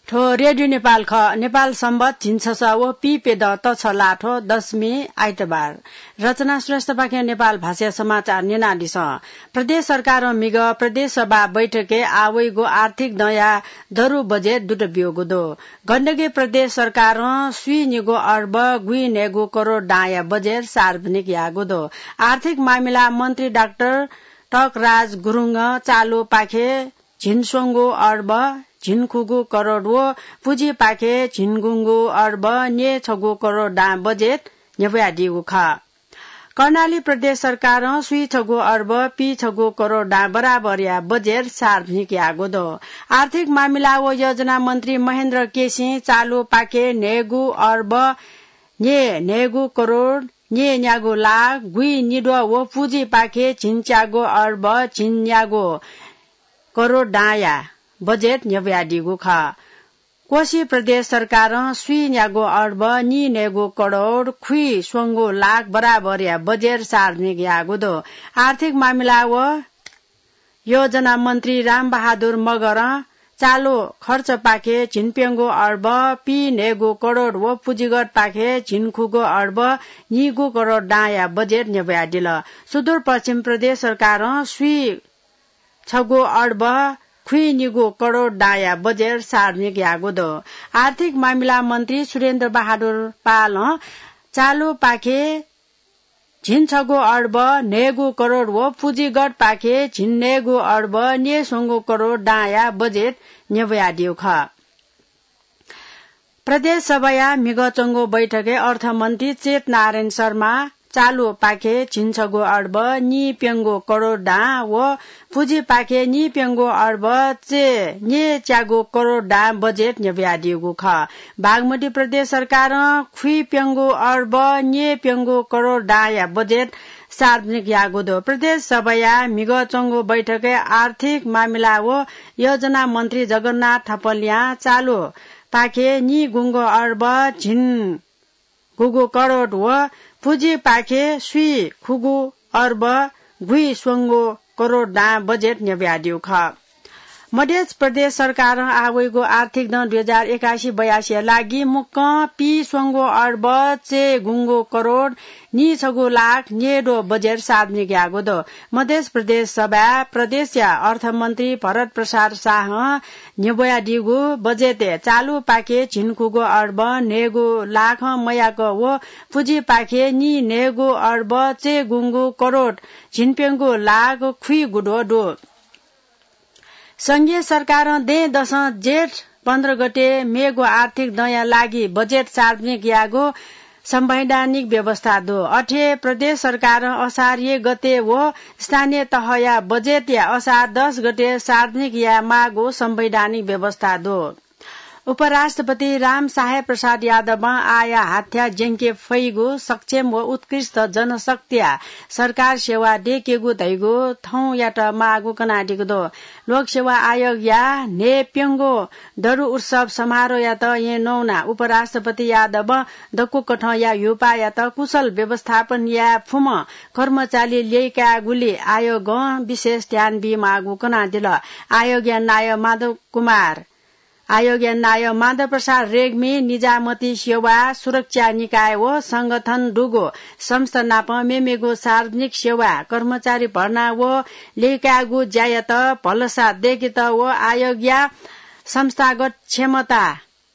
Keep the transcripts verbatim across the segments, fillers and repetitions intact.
थ्व रेडियो नेपाल खः। नेपाल संवत झिंछसः व पीप्यदँ तछलाथ्व दशमी आइतबार। रचना श्रेष्ठपाखें नेपाल भाषाया समाचार न्यनादिसँ। प्रदेश सरकारं म्हिगः प्रदेश सभा बैठकय् आः वइगु आर्थिक दँया दरु बजेट दुत ब्यूगु दु। गण्डकी प्रदेश सरकारं स्वीनिगू अर्ब गुइन्हय्गू करोड दांया बजेट सार्वजनिक याःगु दु। आर्थिक मामिला मन्त्री डाक्टर टकराज गुरुङं चालुपाखे झिंस्वंगू अर्ब झिंखुगू करोड व पुँजीपाखे झिंगुंगू अर्ब न्यय्छगू करोड दां बजेट न्ह्यब्वयादीगु खः। कर्णाली प्रदेश सरकारं स्वीछगू अर्ब पीछगू करोड दां बराबरया बजेट सार्वजनिक याःगु दु। आर्थिक मामिला व योजना मन्त्री महेन्द्र केसीं चालुपाखे न्हय्गू अर्ब न्यय्न्हय्गू करोड न्यय्न्यागू लाख गुइनिद्वः व पुँजीपाखे झिंच्यागू अर्ब झिंन्यागू करोड दांया बजेट न्ह्यब्वयादीगु खः। कोशी प्रदेश सरकारं स्वीन्यागू अर्ब नीन्हय्गू करोड खुइस्वंगू लाख बराबरया बजेट सार्वजनिक याःगु दु। आर्थिक मामिला व योजना मन्त्री रामबहादुर मगरं चालु खर्चपाखे झिंप्यंगू अर्ब पीन्हय्गू करोड व पुँजीगतपाखे झिंखुगू अर्ब नीगू करोड दांया बजेट न्ह्यब्वयादिल। सुदूरपश्चिम प्रदेश सरकारं स्वीछगू अर्ब खुइनिगू करोड दांया बजेट सार्वजनिक याःगु दु। आर्थिक मामिला मन्त्री सुरेन्द्र बहादुर पालं चालुपाखे झिंछगू अर्ब न्हय्गू करोड व पुँजीगतपाखे झिंन्हय्गू अर्ब न्यय्स्वंगू करोड दांया बजेट न्ह्यब्वयादीगु खः। प्रदेश सभाया म्हिगः च्वंगु बैठकय् अर्थमन्त्री चेतनारायण शर्मां चालुपाखे झिंछगू अर्ब नीप्यंगू करोड दां व पुँजीपाखे नीप्यंगू अर्ब चे न्यय्च्यागू करोड दां बजेट न्ह्यब्वयादीगु खः। बागमती प्रदेश सरकारं खुइप्यंगू अर्ब न्यय्प्यंगू करोड दांया बजेट सार्वजनिक याःगु दु। प्रदेश सभाया म्हिगः च्वंगु बैठकय् आर्थिक मामिला व योजना मन्त्री जगन्नाथ थपलियां चालुपाखे नीगुंगू अर्ब झिंगुगू करोड व पुँजीपाखे स्वीखुगू अर्ब गुइस्वंगू करोड दां बजेट न्ह्यब्वयादीगु खः। मध्य प्रदेश सरकारं आः वइगु आर्थिक दँ दुई हजार एकासी बयासीया लागि मुक्कं पीस्वंगू अर्ब चय्गुंगू करोड नीछगू लाख न्यय्द्वः बजेट सार्वजनिक याःगु दु। मध्य प्रदेश सभाय् प्रदेशया अर्थमन्त्री भरत प्रसाद शाहं न्ह्यब्वयादीगु बजेटय् चालुपाखे झिंखुगू अर्ब न्हय्गू लाखं मयाक व पुँजीपाखे नीन्हय्गू अर्ब चय्गुंगू करोड झिंप्यंगू लाख खुइगुद्वः दु। संघीय सरकारं दँय्दसं जेठ पन्ध्र गते मेगु आर्थिक दँया लागि बजेट सार्वजनिक यायेगु संवैधानिक व्यवस्था दु। अथे प्रदेश सरकारं असार एक गते व स्थानीय तहया बजेटया असार दस गते सार्वजनिक यायेमाःगु संवैधानिक व्यवस्था दु। उपराष्ट्रपति रामसाहेब प्रसाद यादवं आःया हाथ्या ज्यंके फइगु सक्षम व उत्कृष्ट जनशक्तिया सरकार सेवा दयेकेगु धइगु थौंयात माःगु कनादीगु दु। लोकसेवा आयोगया न्हय्प्यंगू दरु उत्सव समारोहयात येँ नवानाः उपराष्ट्रपति यादवं दक्वकथंया ह्युपाःयात कुशल व्यवस्थापन याये फुम्ह कर्मचारी ल्यय्कायेगुली आयोगं विशेष ध्यान बीमाःगु कनादिल। आयोगया नायः माधव कुमार आयोगया नायः माधव प्रसाद रेग्मी निजामती सेवा सुरक्षा निकाय व संगठन दुगु संस्था नाप मेमेगु सार्वजनिक सेवा कर्मचारी भर्ना व ल्यय्कायेगु ज्यायात भलसा दय्केत व आयोगया संस्थागत क्षमता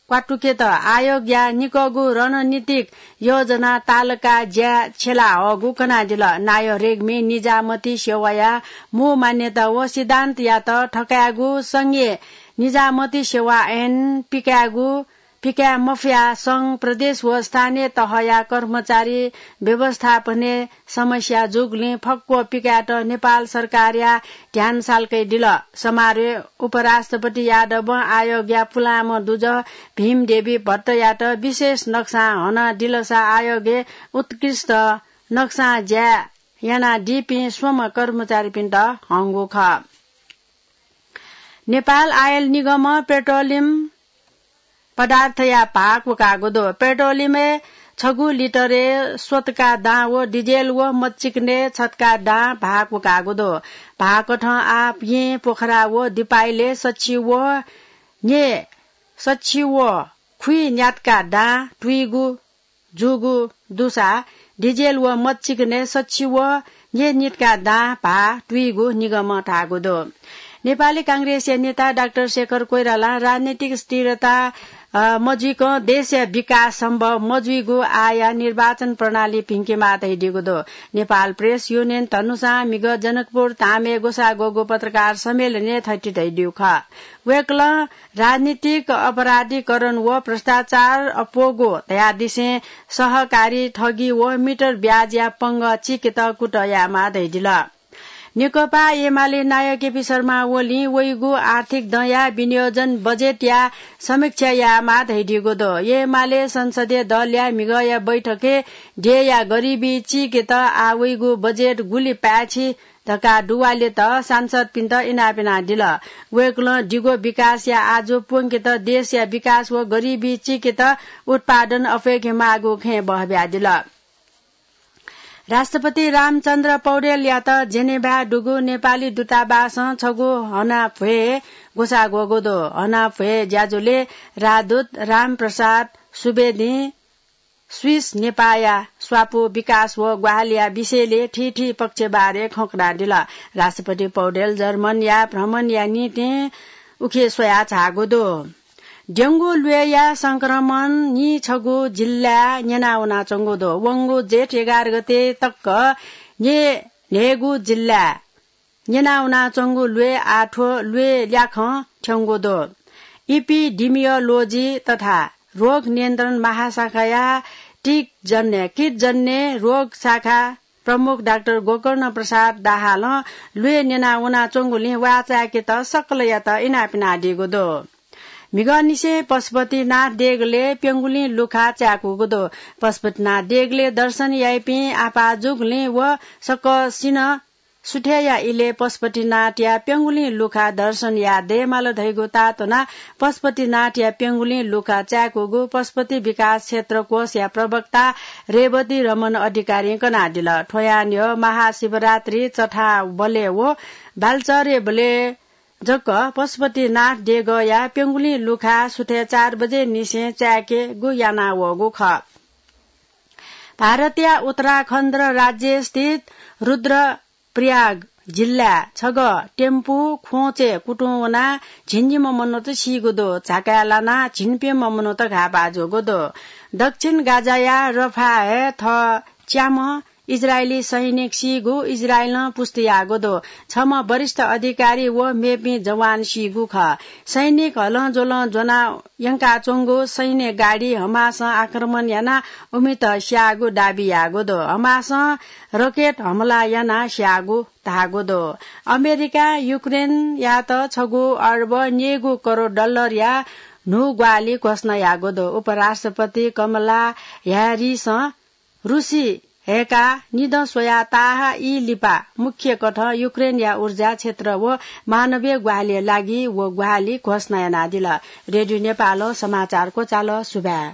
क्वातुकेत आयोगया निकःगु रणनीतिक योजना तालका ज्या छ्यला हःगु कनादिल। नायः रेग्मी निजामती सेवाया मू मान्यता व सिद्धान्तयात थकायेगु संघीय निजामती सेवा ऐन पिकायेगु, पिकाये मफयाः संघ, प्रदेश व स्थानीय तहया कर्मचारी व्यवस्थापनय् समस्या जूगुलिं फक्व पिकायेत नेपाल सरकारया ध्यान सालकय्दिल। समारोहय् उपराष्ट्रपति यादवं आयोगया पुलांम्ह दुजः भीमदेवी भट्टयात विशेष नक्सां हनादिलसा आयोगय् उत्कृष्ट नक्सां ज्या यानादीपिं स्वम्ह कर्मचारीपिन्त हंगु खः। नेपाल आयल निगमं पेट्रोलियम पदार्थया भाः क्वकाःगु दु। पेट्रोलियमय् छगू लिटरय् स्वतका दां व डिजेल व मचिकनय् छतका दां भाः क्वकाःगु दु। भाःकथं आः येँ, पोखरा व दिपाइलय् सछि व न्यय् सछि व खुइ न्यातका दां तुइगु जूगु दुसा डिजेल व मत चिकनय् सछि व न्यय् नितका दां भाः तुइगु निगमं धाःगु दु। नेपाली कांग्रेसया नेता डाक्टर शेखर कोइरालां राजनीतिक स्थिरता, अ, मजुइकं देशया विकास सम्भव मजुइगु आःया निर्वाचन प्रणाली भिंकेमाः धयादीगु दु। नेपाल प्रेस युनियन धनुषां म्हिगः जनकपुर धामय् ग्वसाः ग्वःगु पत्रकार सम्मेलनय् थथे धयादीगु खः। वय्कलं राजनीतिक अपराधीकरण व भ्रष्टाचार अप्वःगु धयादिसें सहकारी ठगी व मिटर ब्याजया पंगः चीकेत कुतः यायेमाः धयादिल। नेकपा एमाले नायः केपी शर्मा ओलीं वइगु आर्थिक दँया विनियोजन बजेटया समीक्षा यायेमाः धयादीगु दु। एमाले संसदीय दलया म्हिगःया बैठकय् देय्‌या गरिबी चीकेत आः वइगु बजेट गुलि पाय्‌छि धकाः दुवालेत सांसदपिन्त इनाप यानादिल। वय्कलं दिगो विकासया आजु प्वंकेत देशया विकास व गरिबी चीकेत उत्पादन अप्वय्‌केमाःगु खँय् बहः बियादिल। राष्ट्रपति रामचन्द्र पौडेलयात जेनेभाय् दुगु नेपाली दूतावासं छगू हनाभ्वय् ग्वसाः ग्वःगु दु। हनाभ्वय् ज्याझ्वलय् राजदूत रामप्रसाद सुवेदीं स्विस नेपाःया स्वापू विकास व ग्वाहालिया विषयलय् थीथी पक्षबारे खँ कनादिल। राष्ट्रपति पौडेल जर्मनया भ्रमणया निंतिं उखे स्वयाः झाःगु दु। डेंगू ल्वय्‌या संक्रमण नीछगू जिल्लाय् न्यनावनाच्वंगु दु। वंगु जेठ एघार गते तक न्यय् न्हय्‌गू जिल्लाय् न्यनावनाच्वंगु ल्वय् आः थ्व ल्वय् ल्याखं थ्यंगु दु। इपिडिमियोलोजी तथा रोग नियन्त्रण महाशाखाया टिकजन्य, किटजन्य रोग शाखा प्रमुख डाक्टर गोकर्ण प्रसाद दाहालं ल्वय् न्यनावनाच्वंगुलिं वाःचाय्‌केत सकलयात इनाप यानादीगु दु। म्हिगःनिसें पशुपतिनाथ देगलय् प्यंगुलिं लुखा चाय्‌कूगु दु। पशुपतिनाथ देगलय् दर्शन याइपिं आपाः जूगुलिं व सकसिनं सुथय्‌या इलय् पशुपतिनाथया प्यंगुलिं लुखा दर्शन याये दयेमाल धइगु ताःत्वनाः पशुपतिनाथया प्यंगुलिं लुखा चाय्‌कूगु पशुपति विकास क्षेत्र कोषया प्रवक्ता रेवती रमण अधिकारीं कनादिल। थ्व यानय् महाशिवरात्रि चथाबलय् व बालचरेबलय् जक पशुपतिनाथ देगःया प्यंगुलिं लुखा सुथय् चार बजे निसें चाय्‌केगु यानावःगु खः। भारतया उत्तराखण्ड राज्यस्थित रुद्रप्रयाग जिल्लाय् छगः टेम्पु ख्वंचय् कुतुं वनाः झिंनिम्ह मनूत सीगु दु। झाकाय् लानाः झिंप्यम्ह मनूत घाःपाः जूगु दु। दक्षिण गाजाया रफाह थः च्याम्ह इजरायली सैनिक सीगु इजरायलं पुष्टि याःगु दु। छम्ह वरिष्ठ अधिकारी व मेपिं जवान सीगु खः। सैनिक हलंज्वलं ज्वना यंकाच्वंगु सैन्य गाडी हमासं आक्रमण यानाः उमित स्याःगु दाबी याःगु दु। हमासं रकेट हमला यानाः स्याःगु धाःगु दु। अमेरिकां युक्रेनयात छगू अर्ब न्यय्‌गू करोड डलरया न्हू ग्वाहालि घोषणा याःगु दु। उपराष्ट्रपति कमला ह्यारिसं रुसी हय्‌काः निदँ स्वयाः ताहाः ई लिपा मुख्य कथं युक्रेनया ऊर्जा क्षेत्र व मानवीय ग्वाहालिया लागि व ग्वाहालि घोषणा यानादिल। रेडियो नेपालं समाचार क्वचाल। सुभाय्।